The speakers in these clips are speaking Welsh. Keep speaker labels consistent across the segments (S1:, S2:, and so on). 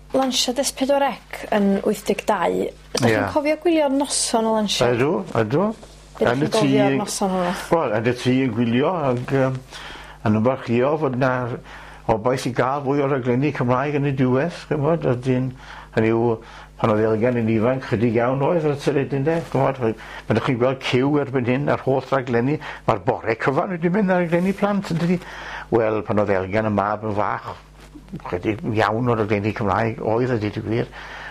S1: Lansiad S4C yn 82, ydych chi'n cofio gwylio noson o lansiad?
S2: Ydw, ydw.
S1: Be ydych chi'n gofio o'r noson hwnnw?
S2: Wel, yn y tŷ yn gwylio ac yn ymfalchïo fod 'na obaith i gael fwy o raglenni Cymraeg yn y diwedd, ch'mod, a dyn, hynny yw, pan oedd Elgan yn ifanc, chydig iawn oedd ar y teledu ynde, ch'mod, pan ydych chi'n gweld ciw erbyn hyn ar holl raglenni, mae'r bore cyfan wedi mynd ar raglenni plant, yn dydi? Wel, pan oedd Elgan y mab yn fach, Chydig iawn o raglenni Cymraeg oedd a dweud y gwir.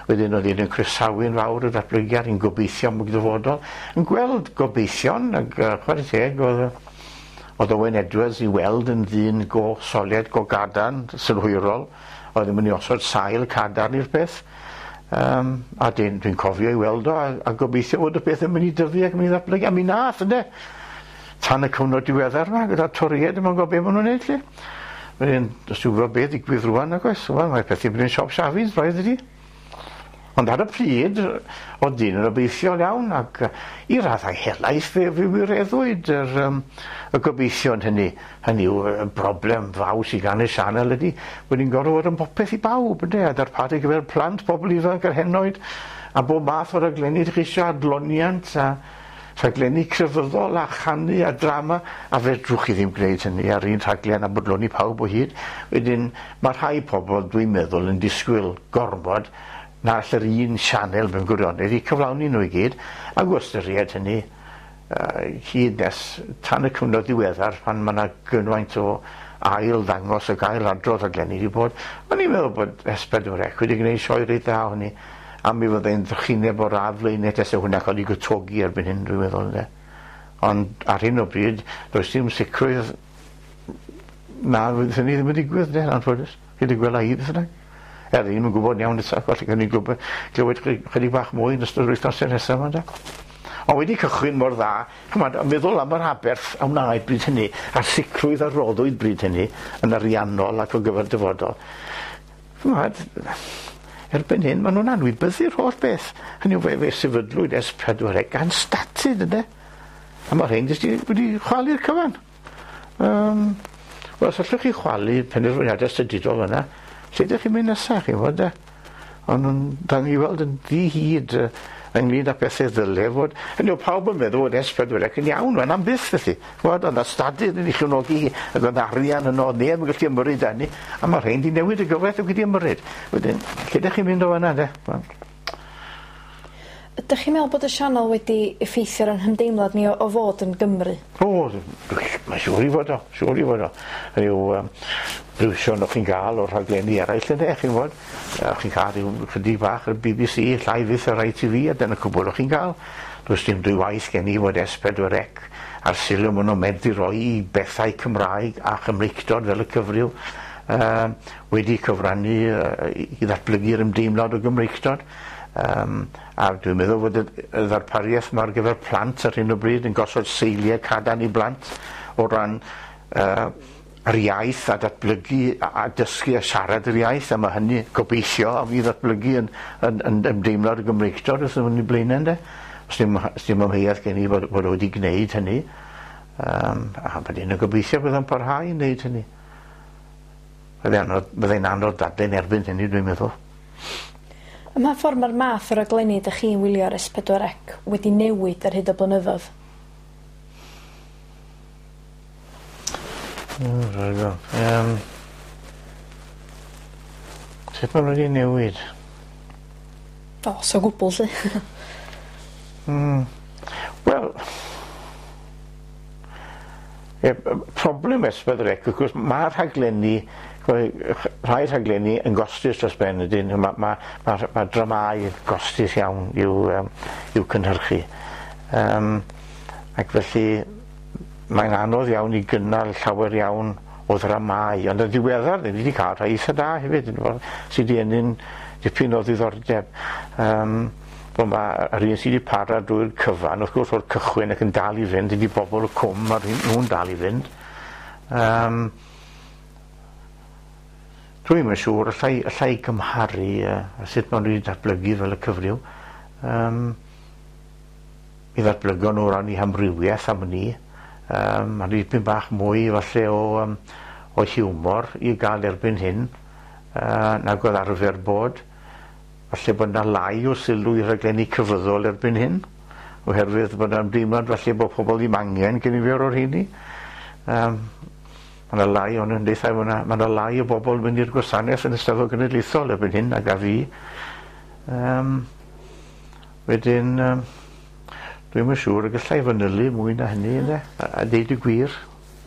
S2: Wedyn oedd un yn croesawu'n fawr y datblygiad, yn gobeithio am y dyfodol, yn gweld gobeithion ac uh, chwarae teg oedd oedd Owen Edwards i weld yn ddyn go soled, go gadarn, synhwyrol, oedd yn mynd i osod sail cadarn i'r peth. Um, a dwi'n dwi cofio i weld o a, a gobeithio fod y peth yn mynd i dyfu ac yn mynd i ddatblygu. A mi nath, ynde? Tan y cyfnod diweddar yma, gyda'r Torïaid ddim yn gwybod beth maen nhw'n neud, 'lly. Wedyn, does dim gwybod beth ddigwydd rwan, nag oes? Wel, mae pethau'n mynd yn siop Shafis, braidd ydi. Ond ar y pryd, oedd dyn yn obeithiol iawn, ac i raddau helaeth fe, fe wireddwyd yr, um, y gobeithion hynny. Hynny yw, y broblem fawr sydd gan y sianel ydy, bod ni'n gorfod fod yn popeth i bawb, ynde, a darparu gyfer plant, pobl ifanc a'r henoed, a bob math o raglenni ydych chi eisiau, adloniant, a Rhaglenni crefyddol a chanu a drama, a fedrwch chi ddim gwneud hynny ar un rhaglen a bodloni pawb o hyd. Wedyn, mae rhai pobl, dwi'n meddwl, yn disgwyl gormod na all yr un sianel mewn gwirionedd i cyflawni nhw i gyd, ac o ystyried hynny, hyd nes tan y cyfnod diweddar pan mae yna gymaint o ail ddangos ac ail adrodd rhaglenni wedi bod, o'n i'n meddwl bod S4C wedi gwneud sioe reit dda o hynny. A mi fyddai'n drychineb o'r radd flaenau tase hwnna cael ei gwtogi erbyn hyn, dwi'n meddwl, ynde. Ond ar hyn o bryd, does dim sicrwydd na fydd hynny ddim yn digwydd, ynde, anffodus. Hyd y gwela i, beth bynnag. Er, ddim yn gwybod iawn eto, falle gawn ni glywed, glywed chydig bach mwy yn ystod yr wythnosau nesaf yma, ynde. Ond wedi cychwyn mor dda, chymod, a meddwl am yr aberth a wnaed bryd hynny, a'r sicrwydd a roddwyd bryd hynny yn ariannol ac o gyfer dyfodol. Ch'mod, erbyn hyn ma' nhw'n anwybyddu'r holl beth. Hynny yw, fe, fe sefydlwyd S4C gan statud, ynde? A mae rhain jyst wedi chwalu'r cyfan. Um, Wel, os allwch chi chwalu penderfyniadau statudol yna, lle ydych chi'n mynd nesaf, chi'n fod, de? Ond nhw'n dan i weld yn ddi-hid ynglyn â pethau ddyle fod. Hynny yw, pawb yn meddwl bod S4C yn iawn, mae'n am byth felly. Ch'mod, o'dd 'na stadur yn 'i chefnogi hi, ag o'dd arian yno, o'dd neb yn gallu ymyrryd â hynny, a ma' rhein 'di newid y gyfraith ag wedi ymyrryd. Wedyn, lle 'dych chi'n mynd o fan 'na 'de? Wel.
S1: Ydych chi'n meddwl bod y sianel wedi effeithio ar 'yn hymdeimlad ni o o fod yn Gymry?
S2: O, mae'n siŵr i fod o, siŵr i fod o. Hynny yw, yym, briwsion o'ch chi'n ga'l o'r rhaglenni eraill ynde, chi'n gwbod. O'ch chi'n cael rhyw chydig bach ar BBC, llai fyth ar ITV, a dyna cwbl o'ch chi'n gael. Does dim dwywaith gen i fod S4C a'r sylw maen nhw'n medru roi i bethau Cymraeg a Chymreictod fel y cyfryw uh, wedi cyfrannu uh, i ddatblygu'r ymdeimlad o Gymreictod. Um, a dwi'n meddwl fod y, y ddarpariaeth yma ar gyfer plant ar hyn o bryd yn gosod seiliau cadarn i blant o ran uh, yr iaith a datblygu a dysgu a siarad yr iaith, a mae hynny, gobeithio, a fydd ddatblygu yn, yn, yn ymdeimlad y Gymreictod wrth ymwneud i blaenau, ynde? Os dim, os dim amheuaeth gen i fod, fod o wedi gwneud hynny, um, a bod yn gobeithio bydd o'n parhau i wneud hynny. Byddai'n anodd, byddai'n anodd dadlau'n erbyn hynny, dwi'n meddwl.
S1: Ym mha ffordd mae'r math o raglenni ydych chi'n wylio ar S4C wedi newid ar hyd y blynyddoedd?
S2: Mm, um, sut maen nhw wedi newid?
S1: O, so gwbl, lly.
S2: mm. Wel, e, problem S4C, wrth gwrs, mae rhaglenni, rhai rhaglenni yn gostus dros ben ydyn, mae ma, ma, ma dramau gostus iawn i'w, um, i'w cynhyrchu. Um, ac felly, Mae'n anodd iawn i gynnal llawer iawn o ddramâu, ond yn ddiweddar ni wedi cael rhai eitha da hefyd, sydd wedi ennyn dipyn o ddiddordeb. Um, Wel, mae yr un sydd wedi para drwy'r cyfan, wrth gwrs o'r cychwyn ac yn dal i fynd, ydy bobl y cwm, mae nhw'n dal i fynd. Um, Dwi'm yn siŵr, allai, allai gymharu uh, sut maen nhw wedi datblygu fel y cyfryw. Um, Mi ddatblygon nhw o ran eu hamrywiaeth am wn i. Yym, ma' dipyn bach mwy falle o yym o hiwmor i ga'l erbyn hyn. nag oedd arfer bod. Falle bod 'na lai o sylw i raglenni cyfryddol erbyn hyn, oherwydd bod 'na ymdeimlad falle bod pobl ddim angen gynifer o'r rheini. Ma' 'na lai o'n ymdeithau, ma' 'na lai o bobl yn mynd i'r gwasanaeth yn y Steddfod Genedlaethol erbyn hyn nag a fi. Wedyn, dwi'm yn siŵr y gallai fanylu mwy na hynny ynde, a deud y gwir.